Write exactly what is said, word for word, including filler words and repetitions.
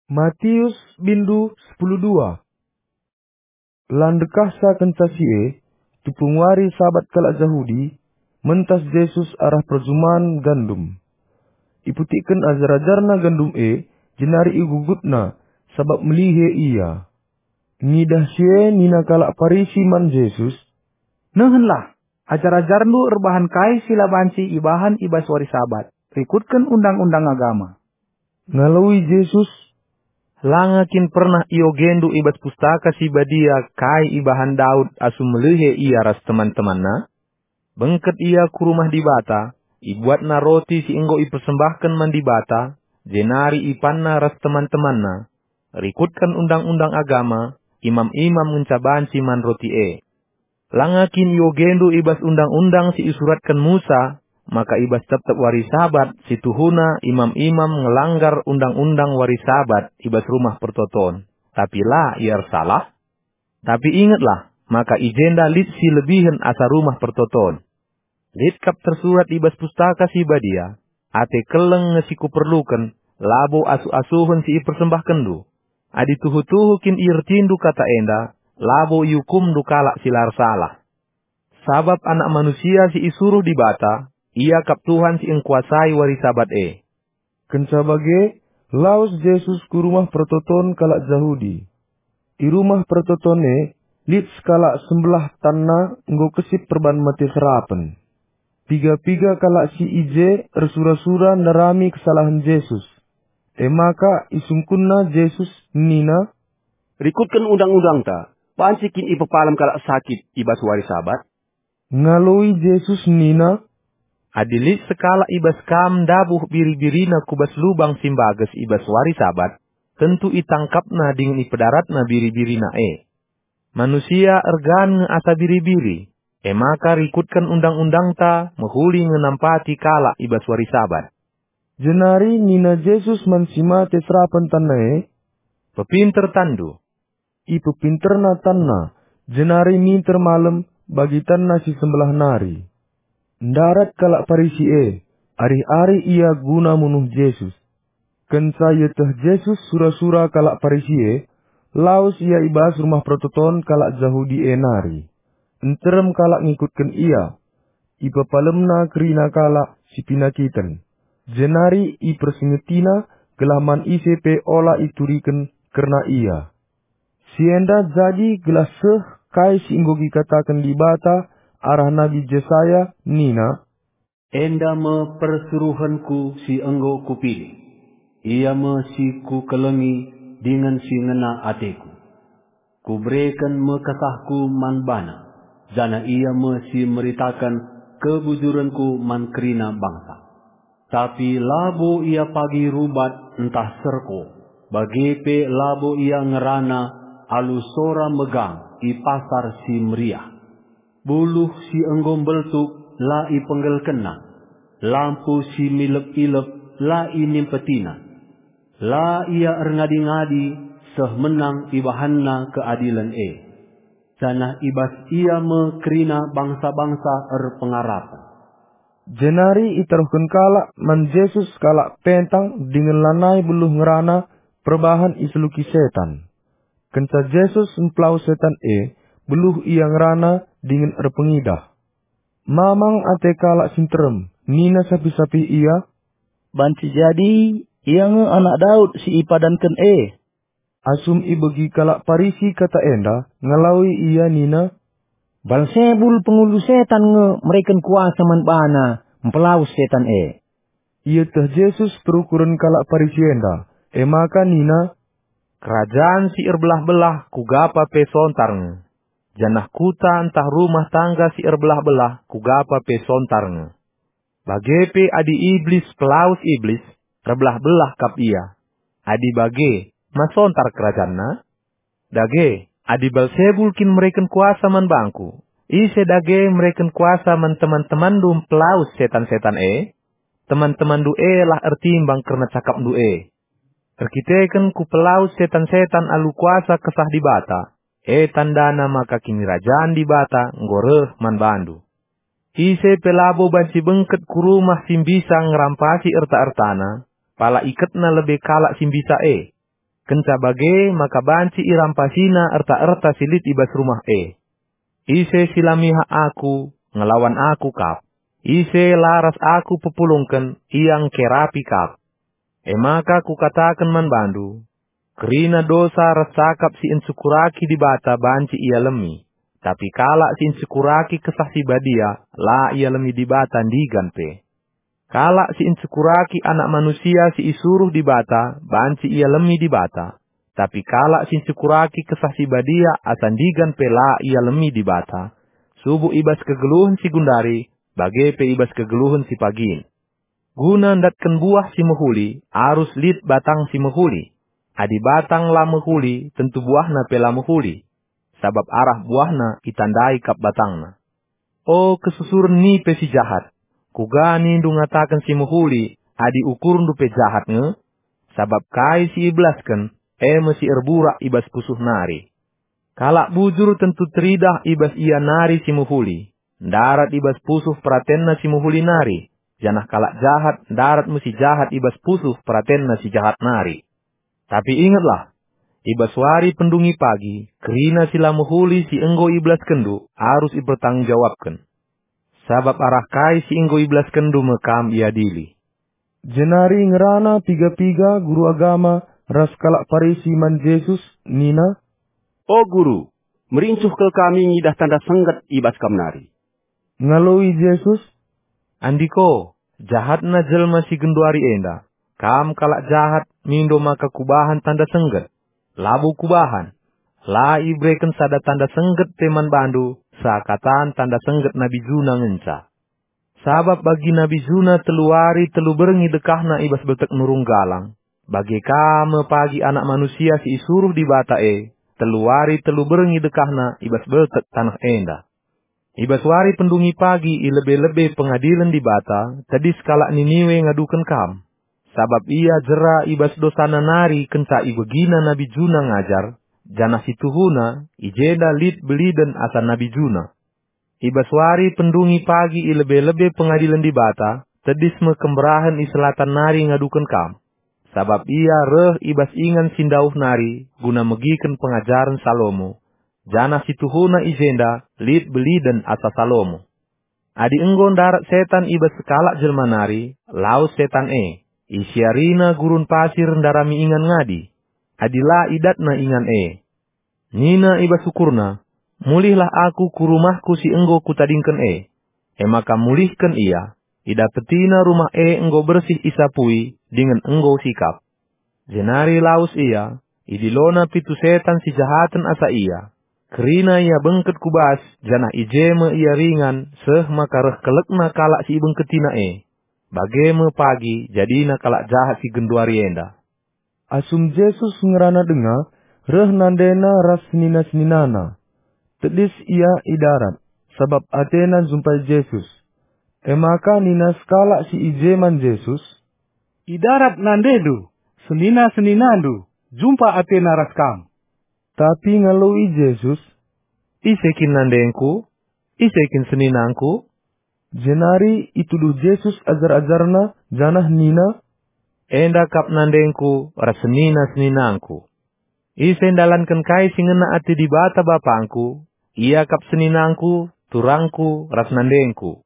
Matius bindu sepuluh dua. La ndekahsa kenca si e, tupung wari Sabat kalak Jahudi, mentas Jesus arah perjuman gandum. Iputikken ajar-ajarNa gandum e, jenari igugutna, sabap melihe ia. Ngidah si e nina kalak Parisi man Jesus, "Nehenlah, ajar-ajarNdu erbahan kai si la banci ibahan i bas wari Sabat, rikutken undang-undang agama." Ngaloi Jesus, "Langa kin pernah iogendu i bas Pustaka Si Badia kai ibahan Daud asum melihe ia ras teman-temanna? Bengket ia ku rumah Dibata, ibuatna roti si enggo ipersembahken man Dibata, jenari ipanna ras teman-temanna. Rikutken undang-undang agama, imam-imam ngenca banci man roti e. Langa kin iogendu i bas undang-undang si isuratken Musa, maka i bas tep-tep wari Sabat si tuhuna imam-imam ngelanggar undang-undang wari Sabat i bas Rumah Pertoton, tapi la ia ersalah? Tapi ingetlah, maka i jenda lit si lebihen asa Rumah Pertoton. Lit kap tersurat i bas Pustaka Si Badia, 'Ate keleng nge si kuperluken, labo asuh-asuhen si ipersembahkenndu.' Adi tuhu-tuhu kin iertindu kata enda, labo iukumndu kalak si la ersalah. Sabap Anak Manusia si isuruh Dibata, Ia kap Tuhan si engkuasai wari Sabat e." Kenca bage, lawes Jesus ku rumah pertoton kalak Jahudi. I rumah pertoton e, lit sekalak sembelah tanna enggo kesip perban mate serapen. Piga-piga kalak si i je ersura-sura ndarami kesalahen Jesus. E maka isungkunna Jesus nina, "Rikutken undang-undangta, banci kin ipepalem kalak sakit i bas wari Sabat?" Ngaloi Jesus nina, "Adi lit sekalak i bas kam ndabuh biri-birina ku bas lubang si mbages i bas wari Sabat, tentu itangkapna dingen ipedaratna biri-birina e. Manusia ergan nge asa biri-biri, e maka rikutken undang-undangta mehuli nge nampati kalak i bas wari Sabat." Jenari nina Jesus man si mate serapen tanna e, "Pepinter tanndu." Ipepinterna tanna, jenari minter malem bagi tanna si sembelah nari. Ndarat kalak Parisi e, arih-arih ia guna munuh Jesus. Kenca ieteh Jesus sura-sura kalak Parisi e, lawes ia i bas rumah pertoton kalak Jahudi e nari. Nterem kalak ngikutken ia. Ipepalemna kerina kalak si penakiten, jenari ipersengetina gelah man ise pe ola ituriken kerna ia. Si enda jadi gelah seh kai si enggo ikataken Dibata arah Nabi Jesaya nina, "Enda me persuruhenKu si enggo Kupilih. Ia me si Kukelengi dingen si ngena ateKu. Kubereken me KesahKu man bana, janah ia me si meritaken kebujurenKu man kerina bangsa. Tapi labo ia pagi rubat ntah serko, bage pe labo ia ngerana alu sora megang i pasar si meriah. Buluh si enggo mbeltuk la ipenggelkenna, lampu si milep-ilep la inimpetina. La ia erngadi-ngadi seh menang ibahanna keadilen e, janah i bas ia me kerina bangsa-bangsa erpengarapen." Jenari itaruhken kalak man Jesus kalak pentang dingen lanai beluh ngerana perbahan iseluki setan. Kenca Jesus mpelawes setan e, beluh ia ngerana dingen erpengidah. Mamang ate kalak si nterem, nina sapih-sapih ia, "Banci jadi ia nge Anak Daud si ipadanken e." Asum ibegi kalak Parisi kata enda, ngaloi ia nina, "Balsebul pengulu setan nge mereken kuasa man bana mpelawes setan e." Ieteh Jesus perukuren kalak Parisi enda, e maka nina, "Kerajan si erbelah-belah kuga pa pe sontar nge, janah kuta ntah rumah tangga si erbelah-belah kuga pa pe sontar nge. Bage pe adi Iblis pelawes Iblis, erbelah-belah kap ia. Adi bage, ma sontar kerajanna? Dage, adi Balsebul kin mereken kuasa man bangKu, ise dage mereken kuasa man teman-temanndu mpelawes setan-setan e? Teman-temanndu e lah ertimbang kerna cakapndu e. Erkiteken Kupelawes setan-setan alu kuasa Kesah Dibata, e tandana maka Kinirajan Dibata enggo reh man bandu. Ise pe labo banci bengket ku rumah si mbisa ngerampasi erta-ertana, pala iketna lebe kalak si mbisa e. kenca bage maka banci irampasina erta-erta si lit i bas rumah e. Ise si la mihak Aku, ngelawan Aku kap. Ise la ras Aku pepulungken, ia ngkerapi kap. E maka Kukataken man bandu, kerina dosa ras cakap si encukuraki Dibata banci ialemi, tapi kalak si encukuraki Kesah Si Badia la ialemi Dibata ndigan pe. Kalak si encukuraki Anak Manusia si isuruh Dibata banci ialemi Dibata, tapi kalak si encukuraki Kesah Si Badia asa ndigan pe la ialemi Dibata, subuk i bas kegeluhen si gundari, bage pe i bas kegeluhen si pagin. Guna ndatken buah si mehuli, arus lit batang si mehuli. Adi batang la mehuli, tentu buahna pe la mehuli, sabap arah buahna itandai kap batangna. O kesusuren nipe si jahat! Kuga nindu ngataken si mehuli, adi ukurndu pe jahat nge? Sabap kai si ibelasken, e me si erburak i bas pusuh nari. Kalak bujur tentu teridah i bas ia nari si mehuli, ndarat i bas pusuh peratenna si mehuli nari, janah kalak jahat ndarat me si jahat i bas pusuh peratenna si jahat nari. Tapi ingetlah, i bas wari pendungi pagi, kerina si la mehuli si enggo ibelaskenndu arus ipertanggung jawabken. Sabap arah kai si enggo ibelaskenndu me kam iadili. Jenari ngerana piga-piga guru agama ras kalak Parisi man Jesus nina, "O Guru, merincuh kal kami ngidah tanda sengget i bas Kam nari." Ngaloi Jesus, "Andiko, jahatna jelma si genduari enda! Kam kalak jahat mindo maka Kubahan tanda sengget. Labo Kubahan. La ibereken sada tanda sengget pe man bandu seakatan tanda sengget nabi Juna ngenca. Sabap bagi nabi Juna telu wari telu berngi dekahna i bas beltek nurung galang, bage ka me pagi Anak Manusia si isuruh Dibata e, telu wari telu berngi dekahna i bas beltek taneh enda." I bas wari pendungi pagi i lebe-lebe pengadilen Dibata, tedis kalak Niniwe ngaduken kam, sabap ia jera i bas dosana nari kenca ibegina nabi Juna ngajar, janah si tuhuna, i jenda lit beliden asa nabi Juna. I bas wari pendungi pagi i lebe-lebe pengadilen Dibata, tedis me kemberahen i selatan nari ngaduken kam, sabap ia reh i bas ingan si ndauh nari guna megiken pengajaren Salomo, janah si tuhuna i jenda lit beliden asa Salomo. Adi enggo ndarat setan i bas sekalak jelma nari, lawes setan e, isiarina gurun pasir ndarami ingan ngadi, adi la idatna ingan e. Nina i bas ukurna, "Mulihlah aku ku rumahku si enggo kutadingken e." E maka mulihken ia, idapetina rumah e enggo bersih isapui dingen enggo sikap. Jenari lawes ia, idilona pitu setan si jahaten asa ia. Kerina ia bengket ku bas, janah i je me ia ringan, seh maka reh kelekna kalak si ibengketina e. Bage me pagi jadina kalak jahat si genduari enda. Asum Jesus ngerana denga, reh nandena ras senina-seninana. Tedis ia i darat, sabap atena njumpai Jesus. E maka nina sekalak si i je man Jesus, "I darat nandendu, senina-seninandu, jumpa atena ras kam." Tapi ngaloi Jesus, "Ise kin nandengku? Ise kin seninangku?" Jenari ituduh Jesus ajar-ajarNa janah nina, "Enda kap nandengku ras senina-seninangku. Ise ndalanken kai si ngena ate Dibata BapangKu, ia kap seninangku, turangku, ras nandengku.